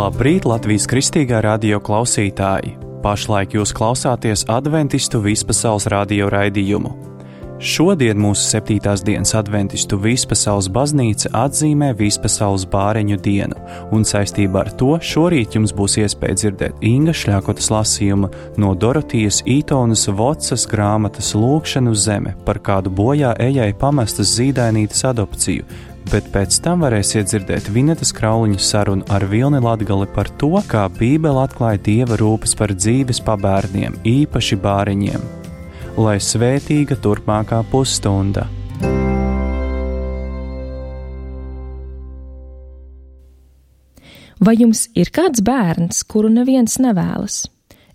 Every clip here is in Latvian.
Labrīt, Latvijas Kristīgā radio klausītāji! Pašlaik jūs klausāties Adventistu Vispasaules radio raidījumu. Šodien mūsu 7. dienas Adventistu Vispasaules baznīca atzīmē Vispasaules bāreņu dienu, un saistībā ar to šorīt jums būs iespēja dzirdēt Inga Šļakotas lasījuma no Dorotijas Ītonas Vocas grāmatas Lūkšana uz zeme par kādu bojā ejai pamestas zīdainītes adopciju, bet pēc tam varēsiet dzirdēt Vinetas Krauliņa sarunu ar Vilni Latgali par to, kā Bībele atklāja Dieva rūpes par dzīves pabērniem, īpaši bāreņiem. Lai svētīga turpmākā pusstunda! Vai jums ir kāds bērns, kuru neviens nevēlas?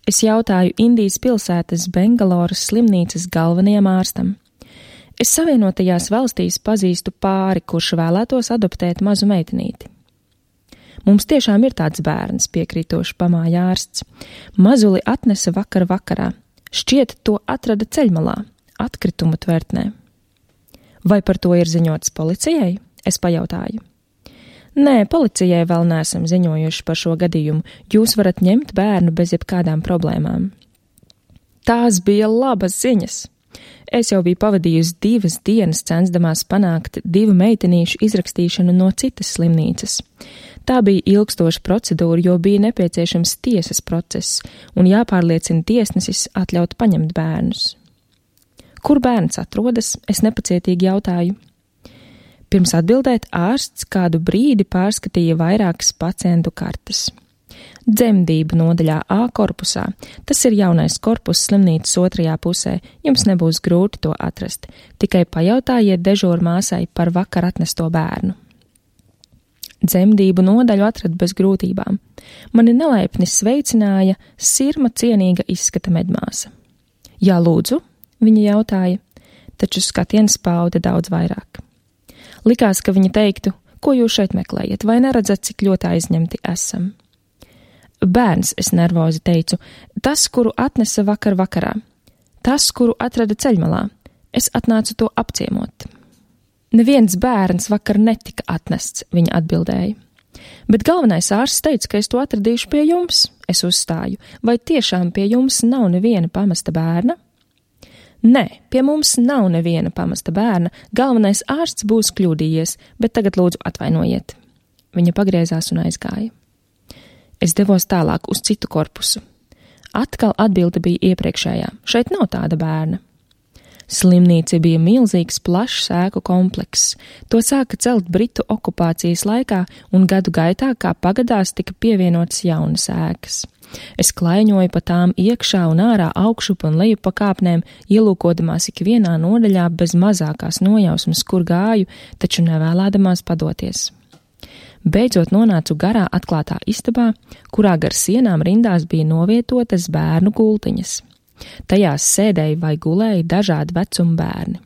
Es jautāju Indijas pilsētas Bengaloras slimnīcas galvenajam ārstam. Es Savienotajās valstīs pazīstu pāri, kurš vēlētos adoptēt mazu meitenīti. Mums tiešām ir tāds bērns, piekrītoši pamāja ārsts. Mazuli atnesa vakar vakarā. Šķiet, to atrada ceļmalā, atkritumu tvertnē. Vai par to ir ziņots policijai? Es pajautāju. Nē, policijai vēl neesam ziņojuši par šo gadījumu. Jūs varat ņemt bērnu bez jebkādām problēmām. Tās bija labas ziņas. Es jau biju pavadījusi 2 dienas censdamās panākt 2 meitenīšu izrakstīšanu no citas slimnīcas. Tā bija ilgstoša procedūra, jo bija nepieciešams tiesas process un jāpārliecina tiesnesis atļaut paņemt bērnus. Kur bērns atrodas? Es nepacietīgi jautāju. Pirms atbildēt, ārsts kādu brīdi pārskatīja vairākas pacientu kartes. Dzemdību nodaļā A korpusā. Tas ir jaunais korpus slimnīcas otrajā pusē. Jums nebūs grūti to atrast. Tikai pajautājiet dežūrmāsai par vakar atnesto bērnu. Dzemdību nodaļu atradu bez grūtībām. Mani nelaipni sveicināja sirma cienīga izskata medmāsa. Jā, lūdzu, viņa jautāja, taču skatiens pauda daudz vairāk. Likās, ka viņa teiktu, ko jūs šeit meklējat, vai neredzat, cik ļoti aizņemti esam. Bērns, es nervozi teicu, tas, kuru atnesa vakar vakarā, tas, kuru atrada ceļmalā, es atnācu to apciemot. Neviens bērns vakar netika atnests, viņa atbildēja. Bet galvenais ārsts teica, ka es to atradīšu pie jums, es uzstāju, vai tiešām pie jums nav neviena pamesta bērna? Nē, pie mums nav neviena pamesta bērna, galvenais ārsts būs kļūdījies, bet tagad lūdzu atvainojiet. Viņa pagriezās un aizgāja. Es devos tālāk uz citu korpusu. Atkal atbilde bija iepriekšējā. Šeit nav tāda bērna. Slimnīca bija milzīgs, plašs ēku komplekss. To sāka celt Britu okupācijas laikā, un gadu gaitā, kā pagadās, tika pievienotas jaunas ēkas. Es klaiņoju pa tām iekšā un ārā augšup un lejup pa kāpnēm, ielūkodamās ikvienā nodaļā bez mazākās nojausmas, kur gāju, taču nevēlēdamās padoties. Beidzot nonācu garā atklātā istabā, kurā gar sienām rindās bija novietotas bērnu gultiņas. Tajās sēdēja vai gulēja dažādi vecuma bērni.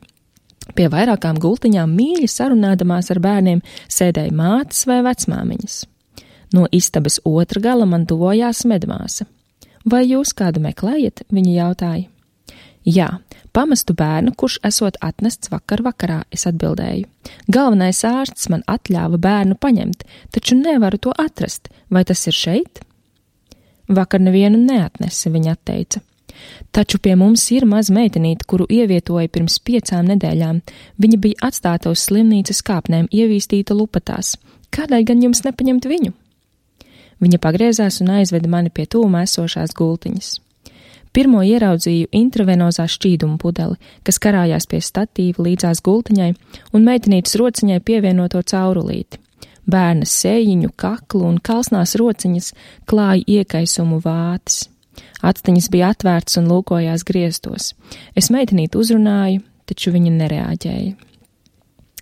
Pie vairākām gultiņām mīļi sarunādamās ar bērniem sēdēja mātes vai vecmāmiņas. No istabas otra gala man tuvojās medmāsa. Vai jūs kādu meklējat? Viņa jautāja. Jā, pamestu bērnu, kurš esot atnests vakar vakarā, es atbildēju. Galvenais ārsts man atļāva bērnu paņemt, taču nevaru to atrast. Vai tas ir šeit? Vakar nevienu neatnesi, viņa atteica. Taču pie mums ir maza meitenīte, kuru ievietoja pirms 5 nedēļām. Viņa bija atstāta uz slimnīcas kāpnēm, ievīstīta lupatās. Kādēļ gan jums nepaņemt viņu? Viņa pagriezās un aizveda mani pie tūmā esošās gultiņas. Pirmo ieraudzīju intravenozā šķīduma pudeli, kas karājās pie statīva līdzās gultiņai un meitenītes rociņai pievienoto caurulīti. Bērna sējiņu, kaklu un kalsnās rociņas klāja iekaisumu vātis. Atstiņas bija atvērtas un lūkojās griestos. Es meitenīti uzrunāju, taču viņa nereaģēja.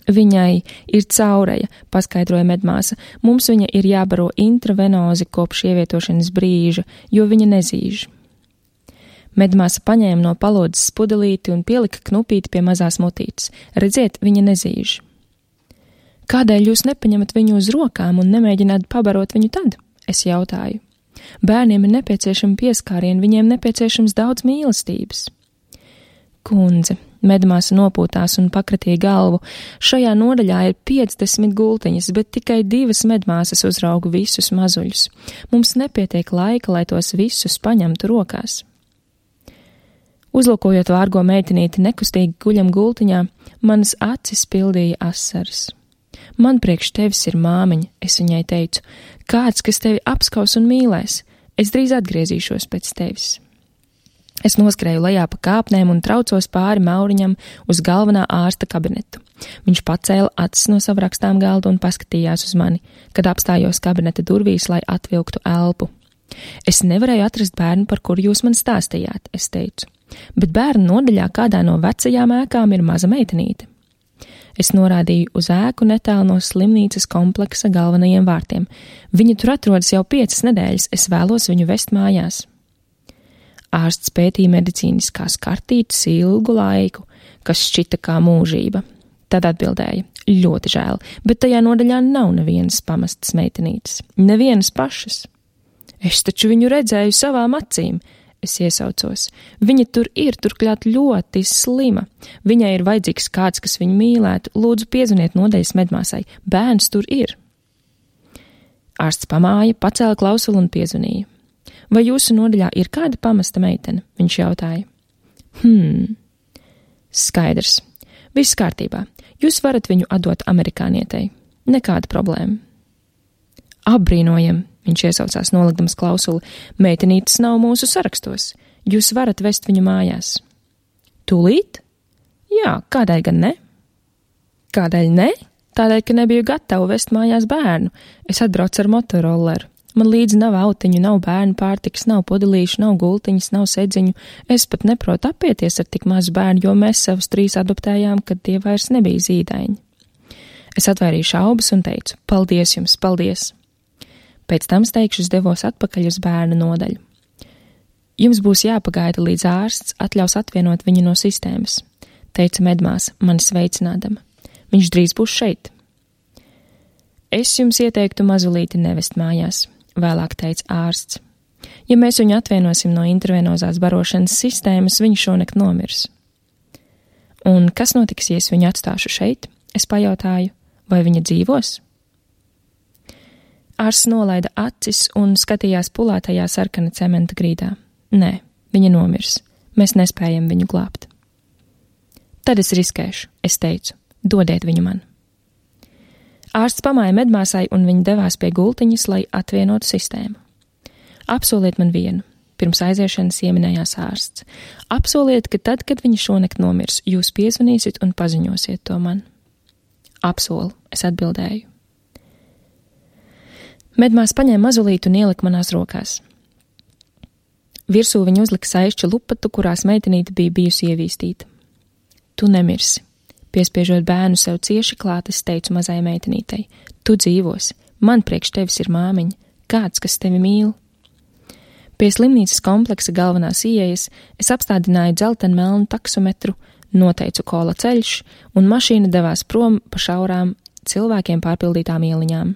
Viņai ir caureja, paskaidroja medmāsa. Mums viņa ir jābaro intravenozi kopš ievietošanas brīža, jo viņa nezīž. Medmāsa paņēma no palodzes pudelīti un pielika knupīti pie mazās mutītes. Redziet, viņa nezīž. Kādēļ jūs nepaņemat viņu uz rokām un nemēģināt pabarot viņu tad? Es jautāju. Bērniem ir nepieciešama pieskāriena, viņiem nepieciešams daudz mīlestības. Kundze, Medmāsa nopūtās un pakratīja galvu. Šajā nodaļā ir 50 gultiņas, bet tikai 2 medmāsas uzrauga visus mazuļus. Mums nepietiek laika, lai tos visus paņemtu rokās. Uzlūkojot vārgo meitenīti nekustīgi guļam gultiņā, manas acis pildīja asaras. Man priekš tevis ir māmiņa, es viņai teicu, kāds, kas tevi apskaus un mīlēs, es drīz atgriezīšos pēc tevis. Es noskrēju lejā pa kāpnēm un traucos pāri Mauriņam uz galvenā ārsta kabinetu. Viņš pacēla acis no sava rakstām galda un paskatījās uz mani, kad apstājos kabineta durvīs, lai atvilktu elpu. Es nevarēju atrast bērnu, par kuru jūs man stāstījāt, es teicu, bet bērnu nodaļā kādā no vecajām ēkām ir maza meitenīte. Es norādīju uz ēku netālu no slimnīcas kompleksa galvenajiem vārtiem. Viņa tur atrodas jau 5 nedēļas, es vēlos viņu vest mājās. Ārsts pētīja medicīniskās kartītes ilgu laiku, kas šķita kā mūžība. Tad atbildēja, ļoti žēl, bet tajā nodaļā nav nevienas pamestas meitenītes, nevienas pašas. Es taču viņu redzēju savām acīm, es iesaucos. Viņa tur ir, turklāt ļoti slima. Viņai ir vajadzīgs kāds, kas viņu mīlētu. Lūdzu, piezvaniet nodaļas medmāsai. Bērns tur ir. Ārsts pamāja, pacēla klausuli un piezvanīja. Vai jūsu nodaļā ir kāda pamesta meitene? Viņš jautāja. Skaidrs. Viss kārtībā. Jūs varat viņu atdot amerikānietei. Nekāda problēma. Apbrīnojam. Viņš iesaucās nolikdams klausuli. Meitenītes nav mūsu sarakstos. Jūs varat vest viņu mājās. Tūlīt? Jā, kādēļ gan ne? Kādēļ ne? Tādēļ, ka nebiju gatava vest mājās bērnu. Es atbraucu ar motorolleru. Man līdzi nav autiņu, nav bērnu pārtikas, nav pudelīšu, nav gultiņas, nav sedziņu. Es pat neprotu apieties ar tik mazu bērnu, jo mēs savus 3 adoptējām, kad tie vairs nebija zīdaiņi. Es atvairīju šaubas un teicu, paldies jums, paldies! Pēc tam steigšus devos atpakaļ uz bērnu nodaļu. Jums būs jāpagaida, līdz ārsts atļaus atvienot viņu no sistēmas, teica medmāsa, mani sveicinādama. Viņš drīz būs šeit. Es jums ieteiktu mazulīti nevest mājās, vēlāk teica ārsts. Ja mēs viņu atvienosim no intravenozās barošanas sistēmas, viņš šonakt nomirs. Un kas notiks, ja es viņu atstāšu šeit? Es pajautāju, vai viņa dzīvos? Ārsts nolaida acis un skatījās pulētajā sarkana cementa grīdā. Nē, viņa nomirs. Mēs nespējam viņu glābt. Tad es riskēšu, es teicu, dodiet viņu man. Ārsts pamāja medmāsai un viņa devās pie gultiņas, lai atvienotu sistēmu. Apsoliet man vienu, pirms aiziešanas ieminējās ārsts. Apsoliet, ka tad, kad viņa šonakt nomirs, jūs piezvanīsiet un paziņosiet to man. Apsolu, es atbildēju. Medmās paņēma mazulītu un ielika manās rokās. Virsū viņa uzlika saišķu lupatu, kurās meitenīte bija bijusi ievīstīta. Tu nemirsi. Piespiežot bērnu sev cieši klāt, es teicu mazai meitenītei. Tu dzīvosi. Man priekš tevis ir māmiņa. Kāds, kas tevi mīl? Pie slimnīcas kompleksa galvenās ieejas es apstādināju dzeltenmelnu taksometru, noteicu kola ceļš, un mašīna devās prom pa šaurām cilvēkiem pārpildītām ieliņām.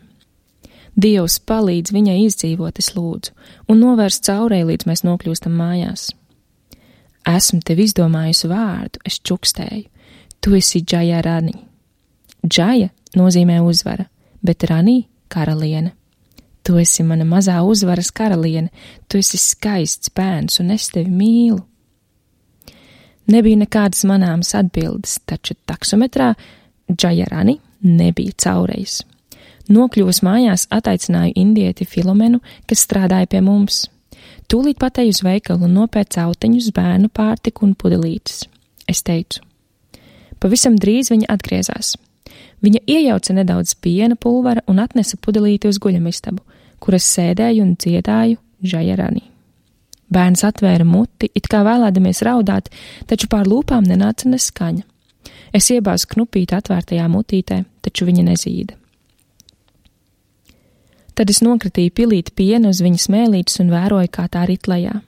Dievs palīdz viņai izdzīvot, es lūdzu, un novērst caurei, līdz mēs nokļūstam mājās. Esmu tev izdomājusi vārdu, es čukstēju. Tu esi Džaja Rani. Džaja nozīmē uzvara, bet Rani – karaliene. Tu esi mana mazā uzvaras karaliene, tu esi skaists bērns, un es tevi mīlu. Nebija nekādas manāmas atbildes, taču taksometrā Džaja Rani nebija caurejas. Nokļuvusi mājās, ataicināju indieti Filomenu, kas strādāja pie mums. Tūlīt patēju uz veikalu un nopērcu autiņus, bērnu pārtiku un pudelītes. Es teicu. Pavisam drīz viņa atgriezās. Viņa iejauca nedaudz piena pulvera un atnesa pudelīti uz guļamistabu, kur es sēdēju un dziedāju Džaja Rani. Bērns atvēra muti, it kā vēlēdamies raudāt, taču pār lūpām nenāca neskaņa. Es iebāzu knupīti atvērtajā mutītē, taču viņa nezīda. Tad es nokritīju pilīti pienu uz viņas mēlītes un vēroju, kā tā rit lejā.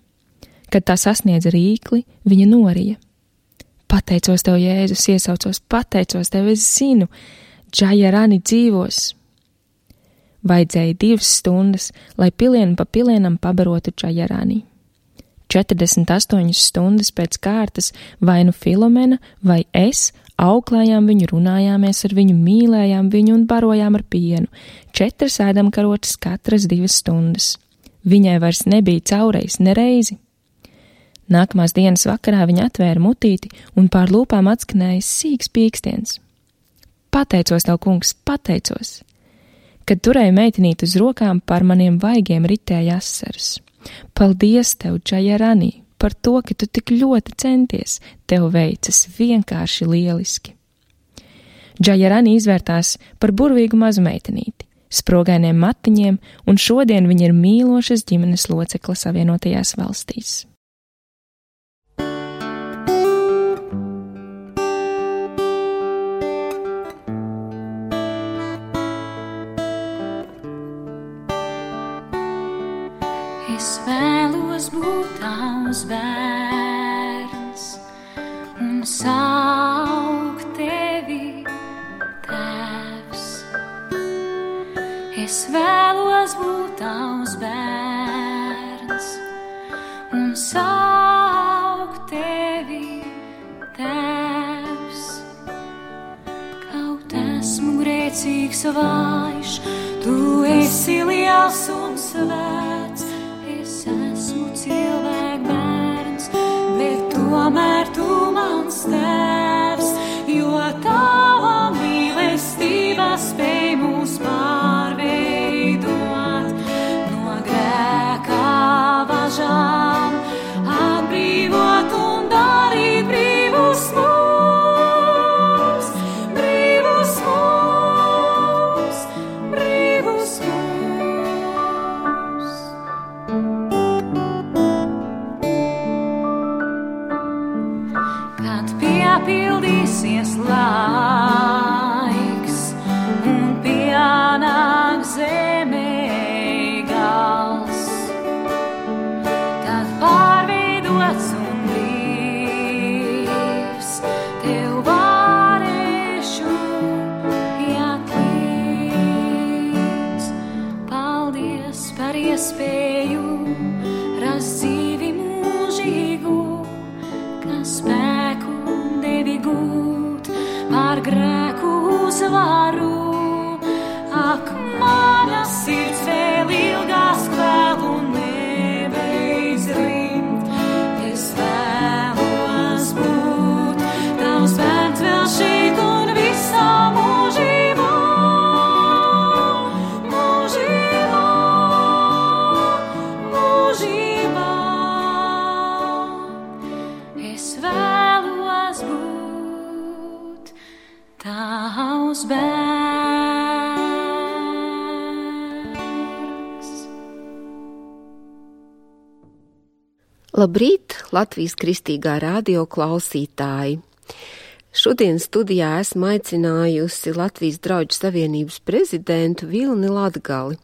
Kad tā sasniedza rīkli, viņa norija. Pateicos tev, Jēzus, iesaucos, pateicos tev, es zinu, Džaja Rani dzīvos. Vajadzēja 2 stundas, lai pilienu pa pilienam pabarotu Džaja Rani. 48 stundas pēc kārtas vai nu Filomena vai es auklējām viņu, runājāmies ar viņu, mīlējām viņu un barojām ar pienu. 4 ēdamkarotes katras 2 stundas. Viņai vairs nebija caurejas nereizi. Nākamās dienas vakarā viņa atvēra mutīti un pār lūpām atskanēja sīks pīkstiens. Pateicos tev, kungs, pateicos! Kad turēju meitenīti uz rokām, par maniem vaigiem ritēja asaras. Paldies tev, Džajarani, par to, ka tu tik ļoti centies, tev veicas vienkārši lieliski. Džajarani izvērtās par burvīgu mazu meitenīti, sprogainiem matiņiem, un šodien viņa ir mīlošas ģimenes locekle Savienotajās valstīs. Es vēlos būt tavs bērns un saukt tevi tēvs. Es vēlos būt tavs bērns un saukt tevi tēvs. Kaut esmu grēcīgs vājš, tu esi liels un svēts. Es esmu cilvēku bērns, bet tomēr tu mans tēvs, jo tava mīlestība spēj mūs pārveidot no grēka važām, atbrīvot un darīt brīvus mūs, brīvus mūs, brīvus mūs. Piepildīsies laiks un pienāk zemē gals, tad pārveidots un brīvs tev varēšu iet līdz. Paldies par iespēju rast dzīvi mūžīgu, kas spēku devi gūt pār grēku uzvaru. Ak, mana sirds vēl ilgās kvēl un nebeidz rimt. Es vēlos būt tavs bērns vēl šeit un visā mūžībā, mūžībā, mūžībā. Es vēlos būt tavs bērns. Labrīt, Latvijas Kristīgā radio klausītāji! Šodien studijā esmu aicinājusi Latvijas Drauģu Savienības prezidentu Vilni Latgali,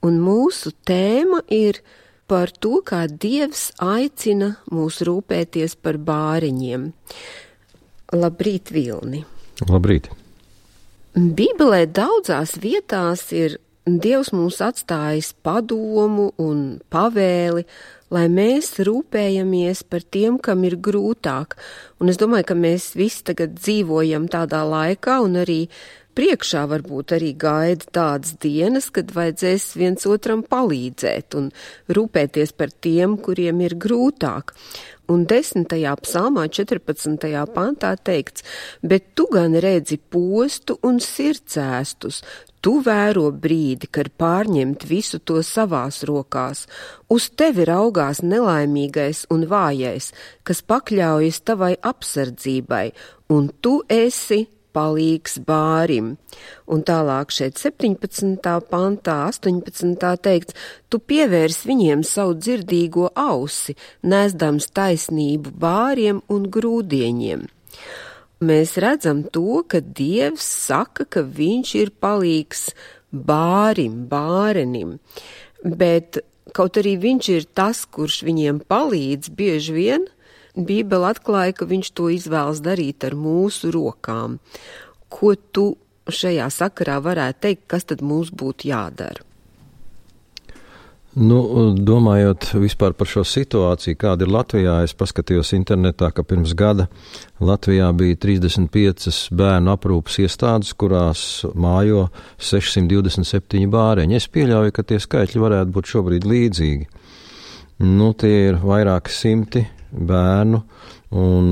un mūsu tēma ir par to, kā Dievs aicina mūs rūpēties par bāriņiem. Labrīt, Vilni! Labrīt! Bībelē daudzās vietās ir Dievs mums atstājis padomu un pavēli, lai mēs rūpējamies par tiem, kam ir grūtāk. Un es domāju, ka mēs visi tagad dzīvojam tādā laikā un arī priekšā varbūt arī gaida tādas dienas, kad vajadzēs viens otram palīdzēt un rūpēties par tiem, kuriem ir grūtāk. Un 10. psalmā 14. pantā teikts, bet tu gan redzi postu un sirdsēstus, tu vēro brīdi, kad pārņemt visu to savās rokās. Uz tevi raugās nelaimīgais un vājais, kas pakļaujas tavai apsardzībai, un tu esi palīgs bārim. Un tālāk šeit 17. pantā, 18. teikts, tu pievērs viņiem savu dzirdīgo ausi, nesdams taisnību bāriem un grūdieņiem. Mēs redzam to, ka Dievs saka, ka viņš ir palīgs bārim, bārenim, bet kaut arī viņš ir tas, kurš viņiem palīdz, bieži vien Bībele atklāja, ka viņš to izvēlas darīt ar mūsu rokām. Ko tu šajā sakarā varētu teikt, kas tad mums būtu jādara? Domājot vispār par šo situāciju, kāda ir Latvijā, es paskatījos internetā, ka pirms gada Latvijā bija 35 bērnu aprūpas iestādes, kurās mājo 627 bāreņi. Es pieļauju, ka tie skaitļi varētu būt šobrīd līdzīgi. Tie ir vairāki simti bērnu, un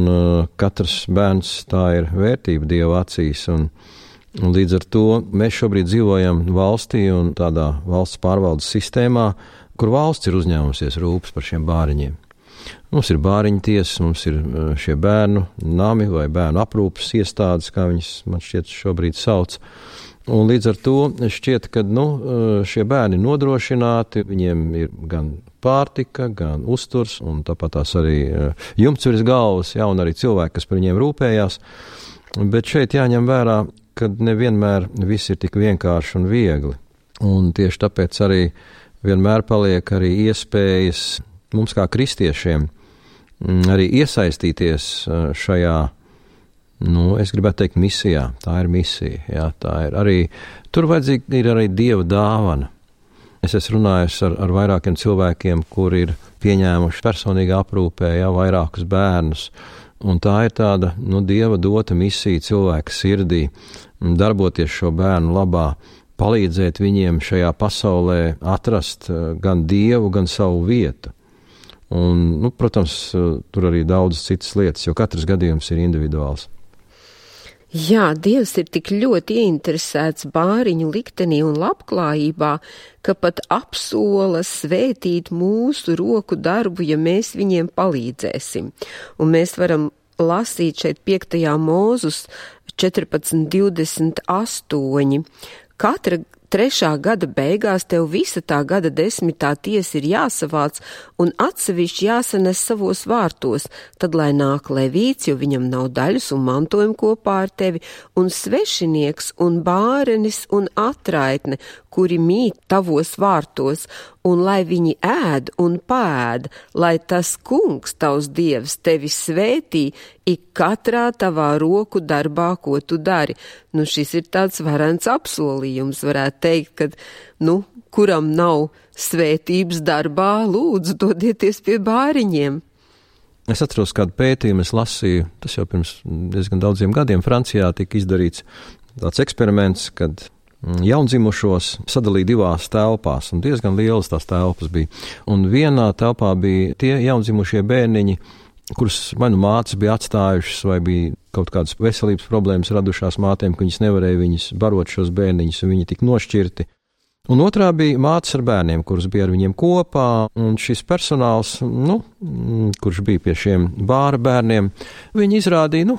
katrs bērns tā ir vērtība Dieva acīs, un līdz ar to mēs šobrīd dzīvojam valstī un tādā valsts pārvaldes sistēmā, kur valsts ir uzņēmusies rūpes par šiem bāriņiem. Mums ir bāriņu tiesas, mums ir šie bērnu nami vai bērnu aprūpes iestādes, kā viņas man šķiet šobrīd sauc. Un līdz ar to šķiet, ka šie bērni nodrošināti, viņiem ir gan pārtika, gan uzturs, un tāpat tās arī jumts virs galvas, un arī cilvēki, kas par viņiem rūpējās. Bet šeit jāņem vērā, kad nevienmēr viss ir tik vienkārši un viegli. Un tieši tāpēc arī vienmēr paliek arī iespējas mums kā kristiešiem arī iesaistīties šajā, es gribētu teikt, misijā. Tā ir misija, jā, tā ir arī, tur vajadzīga ir arī Dieva dāvana. Es esmu runājis ar vairākiem cilvēkiem, kur ir pieņēmuši personīgā aprūpē, vairākus bērnus. Un tā ir tāda, Dieva dota misija cilvēka sirdī, darboties šo bērnu labā, palīdzēt viņiem šajā pasaulē atrast gan Dievu, gan savu vietu. Un, protams, tur arī daudzas citas lietas, jo katrs gadījums ir individuāls. Jā, Dievs ir tik ļoti ieinteresēts bāriņu liktenī un labklājībā, ka pat apsola svētīt mūsu roku darbu, ja mēs viņiem palīdzēsim. Un mēs varam lasīt šeit 5. Mūzus 14:28. Katra 3. gada beigās tev visa tā gada 10. tiesa ir jāsavāc un atsevišķi jāsanes savos vārtos, tad lai nāk levīts, jo viņam nav daļas un mantojuma kopā ar tevi, un svešinieks un bārenis un atraitne, kuri mīt tavos vārtos, un lai viņi ēd un pēd, lai tas kungs, tavs Dievs, tevi svētī ik katrā tavā roku darbā, ko tu dari. Šis ir tāds varens apsolījums, varētu teikt, kad, kuram nav svētības darbā, lūdzu, dodieties pie bāriņiem. Es atceros kādu pētījumu, es lasīju, tas jau pirms diezgan daudziem gadiem Francijā tika izdarīts tāds eksperiments, kad jaundzimušos sadalīja 2 telpās, un diezgan lielas tās telpas bija. Un vienā telpā bija tie jaundzimušie bērniņi, kurus vai mātes bija atstājušas, vai bija kaut kādas veselības problēmas radušās mātēm, ka viņas nevarēja viņus barot šos bērniņus, un viņi tika nošķirti. Un otrā bija mātes ar bērniem, kuras bija ar viņiem kopā, un šis personāls, kurš bija pie šiem bāra bērniem, viņi izrādīja,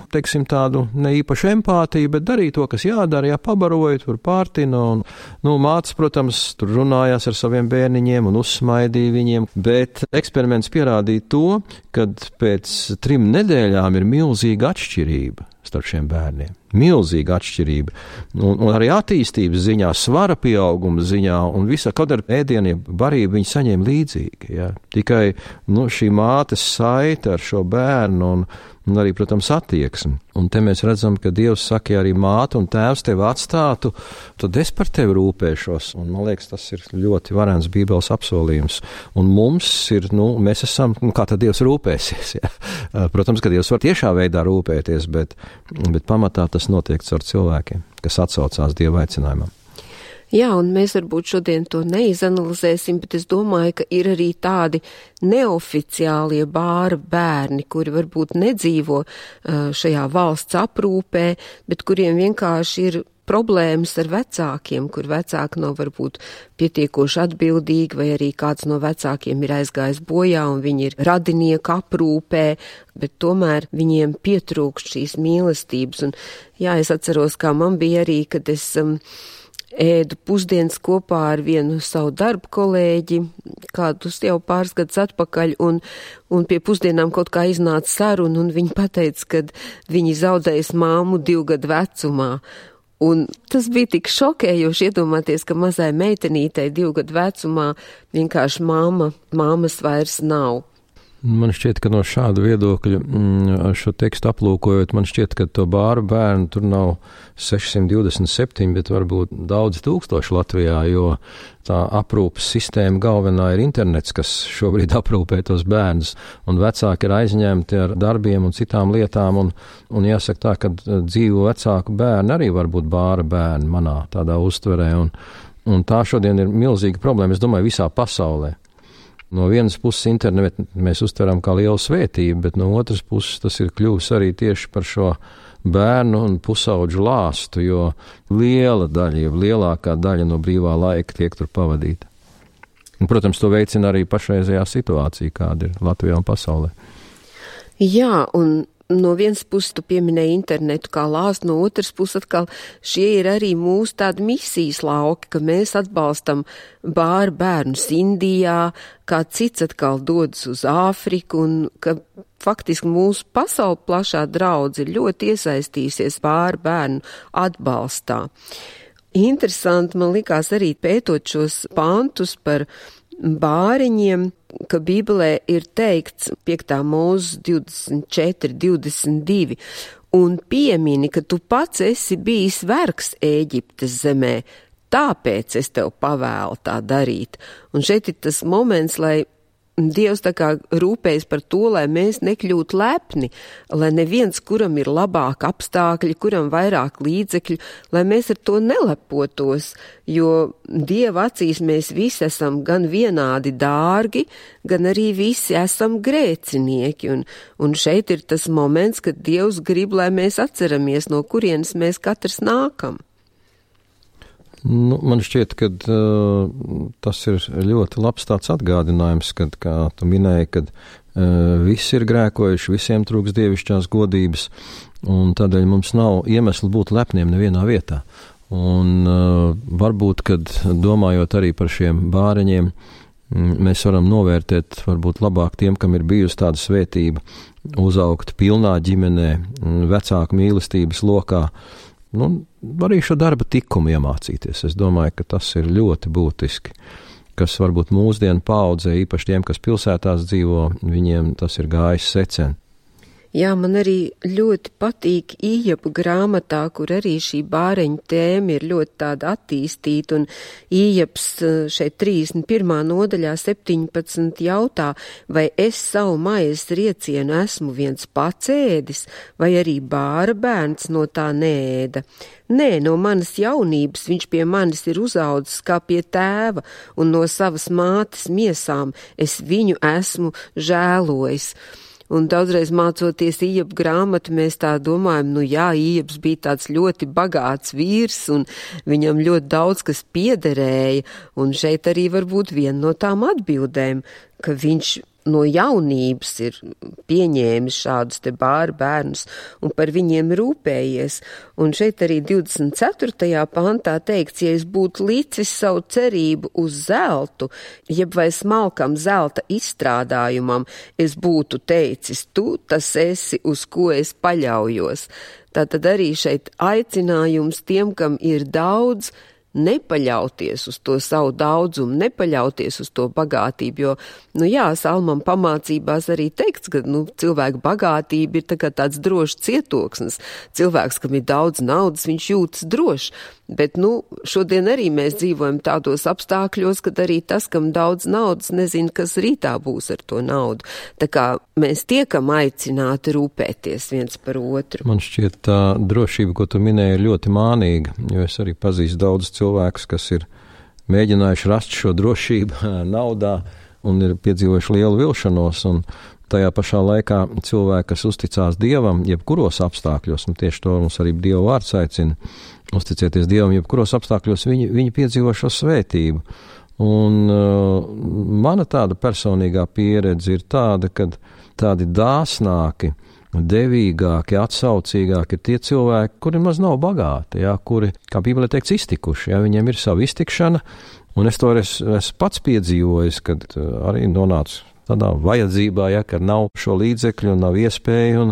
tādu neīpašu empātiju, bet darīja to, kas jādara, pabaroja, tur pārtina, un, mātes, protams, tur runājās ar saviem bērniņiem un uzsmaidīja viņiem, bet eksperiments pierādīja to, kad pēc 3 nedēļām ir milzīga atšķirība starp šiem bērniem. Milzīga atšķirība. Un arī attīstības ziņā, svara pieauguma ziņā un visa, kaut ar ēdieniem barību viņi saņēma līdzīgi. Ja. Tikai šī mātes saite ar šo bērnu un arī, protams, attieksmi. Un te mēs redzam, ka Dievs saka, ja arī māte un tēvs tevi atstātu, tad es par tevi rūpēšos. Un man liekas, tas ir ļoti varens Bībeles apsolījums. Un mums ir, mēs esam, kā tad Dievs rūpēsies. Ja. Protams, ka Dievs var tiešā veidā rūpēties, bet pamatā tas notiek caur cilvēkiem, kas atsaucās Dieva aicinājumam. Jā, un mēs varbūt šodien to neizanalizēsim, bet es domāju, ka ir arī tādi neoficiālie bāra bērni, kuri varbūt nedzīvo šajā valsts aprūpē, bet kuriem vienkārši ir problēmas ar vecākiem, kur vecāki nav varbūt pietiekoši atbildīgi, vai arī kāds no vecākiem ir aizgājis bojā un viņi ir radinieku aprūpē, bet tomēr viņiem pietrūkst šīs mīlestības. Un jā, es atceros, kā man bija arī, kad es ēdu pusdienas kopā ar vienu savu darbu kolēģi, kādus jau pāris gadus atpakaļ, un pie pusdienām kaut kā iznāca saruna, un viņi pateica, ka viņi zaudējas māmu 2 gadu vecumā. Un tas bija tik šokējoši iedomāties, ka mazai meitenītei 2 gadu vecumā vienkārši māmas vairs nav. Man šķiet, ka no šāda viedokļa, šo tekstu aplūkojot, man šķiet, ka to bāru bērnu tur nav 627, bet varbūt daudz tūkstoši Latvijā, jo tā aprūpas sistēma galvenā ir internets, kas šobrīd aprūpē tos bērnus, un vecāki ir aizņemti ar darbiem un citām lietām, un jāsaka tā, ka dzīvo vecāku bērni arī var būt bāra bērni manā tādā uztverē, un tā šodien ir milzīga problēma, es domāju, visā pasaulē. No vienas puses internetu mēs uztveram kā lielu svētību, bet no otras puses tas ir kļuvis arī tieši par šo bērnu un pusauģu lāstu, jo liela daļa, jau lielākā daļa no brīvā laika tiek tur pavadīta. Un, protams, to veicina arī pašreizējā situācija, kāda ir Latvijā un pasaulē. Jā, un no vienas puses tu pieminēji internetu kā lāstu, no otras puses atkal šie ir arī mūsu tādi misijas lauki, ka mēs atbalstam bāru bērnus Indijā, kā cits atkal dodas uz Āfriku, un ka faktiski mūsu pasauli plašā draudze ir ļoti iesaistījusies bāru bērnu atbalstā. Interesanti man likās arī pētot šos pantus par bāriņiem, ka Bībelē ir teikts 5. mūzes 24:22, un piemini, ka tu pats esi bijis vergs Ēģiptes zemē, tāpēc es tev pavēlu tā darīt. Un šeit ir tas moments, lai Dievs tā kā rūpējas par to, lai mēs nekļūtu lepni, lai neviens, kuram ir labāk apstākļi, kuram vairāk līdzekļu, lai mēs ar to nelepotos, jo Dieva acīs mēs visi esam gan vienādi dārgi, gan arī visi esam grēcinieki, un šeit ir tas moments, kad Dievs grib, lai mēs atceramies, no kurienes mēs katrs nākam. Man šķiet, ka tas ir ļoti labs tāds atgādinājums, kad, kā tu minēji, kad visi ir grēkojuši, visiem trūks dievišķās godības, un tādēļ mums nav iemesli būt lepniem nevienā vietā. Un varbūt, kad domājot arī par šiem bāreņiem, mēs varam novērtēt varbūt labāk tiem, kam ir bijusi tāda svētība, uzaugt pilnā ģimenē, vecāku mīlestības lokā, arī šo darba tikumu iemācīties. Es domāju, ka tas ir ļoti būtiski, kas varbūt mūsdienu paaudzē, īpaši tiem, kas pilsētās dzīvo, viņiem tas ir gājis secen. Jā, man arī ļoti patīk Ījoba grāmatā, kur arī šī bāreņu tēma ir ļoti tāda attīstīta, un Ījobs šeit 31. nodaļā 17 jautā, vai es savu maizes riecienu esmu viens pats ēdis, vai arī bāra bērns no tā neēda. Nē, no manas jaunības viņš pie manis ir uzaudzis kā pie tēva, un no savas mātes miesām es viņu esmu žēlojis. Un daudzreiz mācoties Ījoba grāmatu, mēs tā domājam, Ījobs bija tāds ļoti bagāts vīrs, un viņam ļoti daudz kas piederēja, un šeit arī var būt viena no tām atbildēm, ka viņš no jaunības ir pieņēmis šādus te bāru bērnus un par viņiem rūpējies. Un šeit arī 24. pantā teikts, ja es būtu licis savu cerību uz zeltu, jeb vai smalkam zelta izstrādājumam, es būtu teicis, tu tas esi, uz ko es paļaujos. Tātad arī šeit aicinājums tiem, kam ir daudz, nepaļauties uz to savu daudzumu, nepaļauties uz to bagātību, jo, Salmam pamācībās arī teikts, ka, cilvēka bagātība ir tā kā tāds drošs cietoksnis. Cilvēks, kam ir daudz naudas, viņš jūtas drošs, bet, šodien arī mēs dzīvojam tādos apstākļos, kad arī tas, kam daudz naudas, nezina, kas rītā būs ar to naudu. Tā kā mēs tiekam aicināti rūpēties viens par otru. Man šķiet, tā drošība, ko tu minēji, ir ļoti mānīga, jo es arī pazīstu daudz cilvēkus, kas ir mēģinājuši rast šo drošību naudā un ir piedzīvojuši lielu vilšanos, un tajā pašā laikā cilvēki, kas uzticās Dievam, jebkuros apstākļos, un tieši to mums arī Dieva vārds aicina, uzticēties Dievam, jebkuros apstākļos viņi piedzīvo šo svētību. Un mana tāda personīgā pieredze ir tāda, ka tādi dāsnāki, devīgāki, atsaucīgāki ir tie cilvēki, kuri maz nav bagāti, kuri, kā Bībelē teikts, iztikuši, viņiem ir sava iztikšana, un es to esmu pats piedzīvojis, kad arī nonācu tādā vajadzībā, ja, ka nav šo līdzekļu un nav iespēju,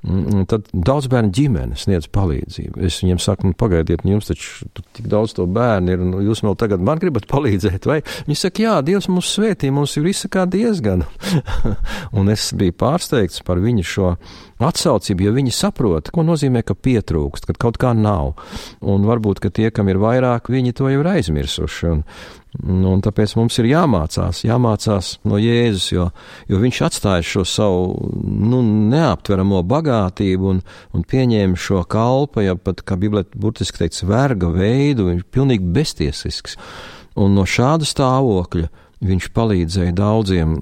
un tad daudz bērnu ģimene sniedz palīdzību. Es viņiem saku, pagaidiet, jums taču tik daudz to bērnu ir, un jūs vēl tagad man gribat palīdzēt, vai? Viņi saka, jā, Dievs mums svētī, mums ir visa kā diezgan. Un es biju pārsteigts par viņu šo atsaucību, jo viņi saprot, ko nozīmē, ka pietrūkst, kad kaut kā nav. Un varbūt, ka tie, kam ir vairāk, viņi to jau ir aizmirsuši. Un tāpēc mums ir jāmācās no Jēzus, jo viņš atstāja šo savu neaptveramo bagātību un pieņēma šo kalpa, ja pat, kā Bībelē burtiski teikts, verga veidu, viņš ir pilnīgi beztiesisks. Un no šāda stāvokļa viņš palīdzēja daudziem,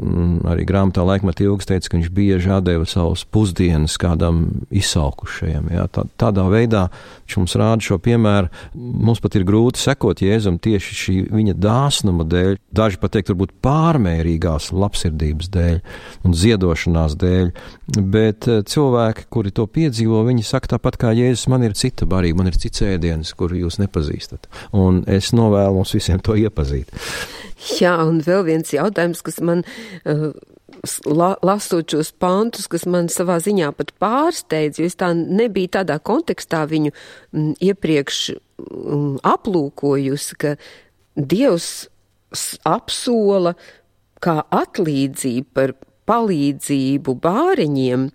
arī grāmatā Laikmeta ilgas teica, ka viņš bieži atdeva savus pusdienas kādam izsalkušajam. Jā, tādā veidā viņš mums rāda šo piemēru. Mums pat ir grūti sekot Jēzum tieši šī viņa dāsnuma dēļ, daži pat teikt, varbūt pārmērīgās labsirdības dēļ un ziedošanās dēļ, bet cilvēki, kuri to piedzīvo, viņi saka tāpat kā Jēzus, man ir cita barība, man ir cits ēdiens, kuru jūs nepazīstat. Un es novēlu mums visiem to iepazīt. Jā, un vēl viens jautājums, kas man, lasot šos pantus, kas man savā ziņā pat pārsteidz, jo es tā nebiju tādā kontekstā viņu iepriekš aplūkojusi, ka Dievs apsola kā atlīdzību par palīdzību bāreņiem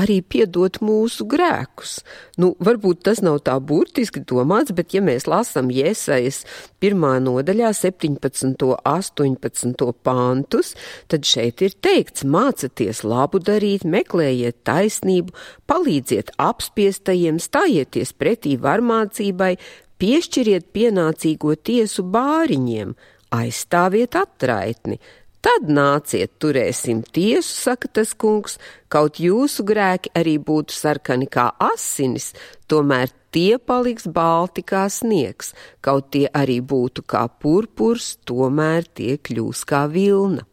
arī piedot mūsu grēkus. Varbūt tas nav tā burtiski domāts, bet ja mēs lasam Jesajas 1. nodaļā 17. 18. pantus, tad šeit ir teikts, mācaties labu darīt, meklējiet taisnību, palīdziet apspiestajiem, stājieties pretī varmācībai, piešķiriet pienācīgo tiesu bāriņiem, aizstāviet atraitni. Tad nāciet, turēsim tiesu, saka tas kungs, kaut jūsu grēki arī būtu sarkani kā asinis, tomēr tie paliks balti kā sniegs, kaut tie arī būtu kā purpurs, tomēr tie kļūs kā vilna.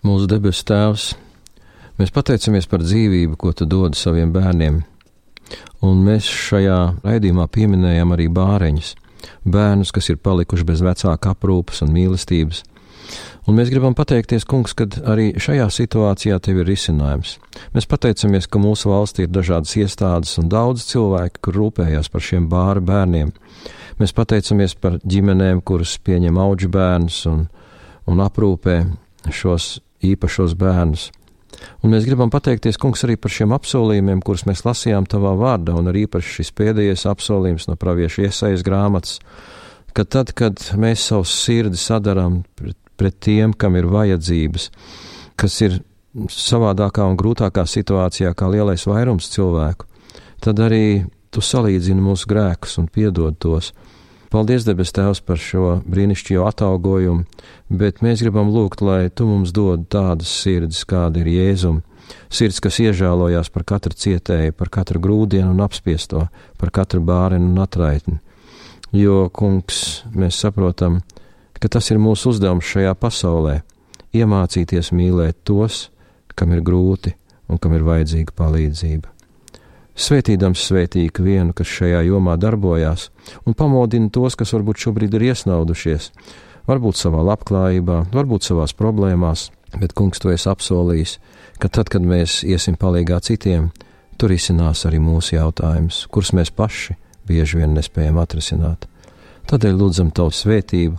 Mūsu debesu Tēvs, mēs pateicamies par dzīvību, ko tu dod saviem bērniem, un mēs šajā raidījumā pieminējam arī bāreņus. Bērnus, kas ir palikuši bez vecāka aprūpes un mīlestības. Un mēs gribam pateikties, kungs, kad arī šajā situācijā tev ir risinājums. Mēs pateicamies, ka mūsu valstī ir dažādas iestādes un daudz cilvēki, kur rūpējās par šiem bērniem. Mēs pateicamies par ģimenēm, kuras pieņem audžu bērnus un aprūpē šos īpašos bērnus. Un mēs gribam pateikties, kungs, arī par šiem apsolījumiem, kurus mēs lasījām tavā vārdā, un arī īpaši šis pēdējais apsolījums no pravieša Jesajas grāmatas, ka tad, kad mēs savus sirdi sadaram pret tiem, kam ir vajadzības, kas ir savādākā un grūtākā situācijā kā lielais vairums cilvēku, tad arī tu salīdzini mūsu grēkus un piedod tos. Paldies, debes Tēvs, par šo brīnišķīgo atalgojumu, bet mēs gribam lūgt, lai tu mums dod tādas sirdis, kāda ir Jēzum. Sirds, kas iežēlojās par katru cietēju, par katru grūdienu un apspiesto, par katru bārenu un atraitni. Jo, kungs, mēs saprotam, ka tas ir mūsu uzdevums šajā pasaulē – iemācīties mīlēt tos, kam ir grūti un kam ir vajadzīga palīdzība. Svētīdams svētī ikvienu, kas šajā jomā darbojās, un pamodina tos, kas varbūt šobrīd ir iesnaudušies, varbūt savā labklājībā, varbūt savās problēmās, bet, kungs, tu esi apsolījis, ka tad, kad mēs iesim palīgā citiem, tu risinās arī mūsu jautājumus, kurus mēs paši bieži vien nespējam atrisināt. Tādēļ lūdzam tavu svētību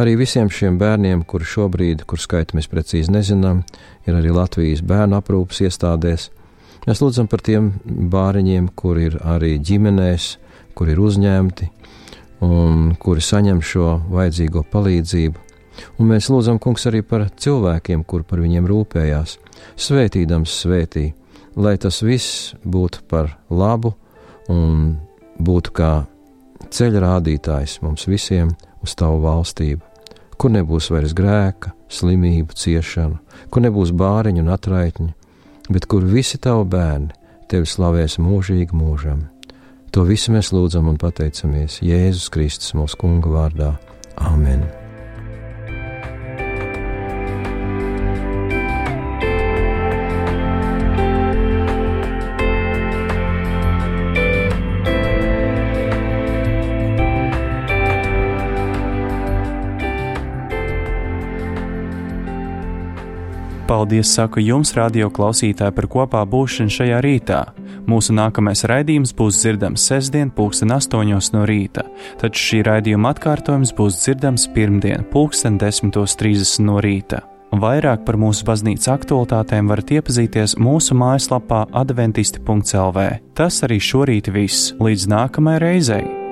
arī visiem šiem bērniem, kuri šobrīd, kur skaitu mēs precīzi nezinām, ir arī Latvijas bērnu aprūpes iestādēs. Mēs lūdzam par tiem bāriņiem, kuri ir arī ģimenēs, kuri ir uzņemti un kuri saņem šo vajadzīgo palīdzību. Un mēs lūdzam, kungs, arī par cilvēkiem, kuri par viņiem rūpējās, svētīdams svētī, lai tas viss būtu par labu un būtu kā ceļa rādītājs mums visiem uz tavu valstību, kur nebūs vairs grēka, slimību, ciešanu, kur nebūs bāriņu un atraitņu, bet kur visi tavi bērni tevi slavēs mūžīgi mūžam. To visu mēs lūdzam un pateicamies Jēzus Kristus mūsu kunga vārdā. Āmen! Paldies saku jums, radio klausītāji, par kopā būšanu šajā rītā. Mūsu nākamais raidījums būs dzirdams sestdien 8:00 no rīta, taču šī raidījuma atkārtojums būs dzirdams pirmdien 10:30 no rīta. Vairāk par mūsu baznīcas aktualitātēm varat iepazīties mūsu mājaslapā adventisti.lv. Tas arī šorīt viss. Līdz nākamajai reizei!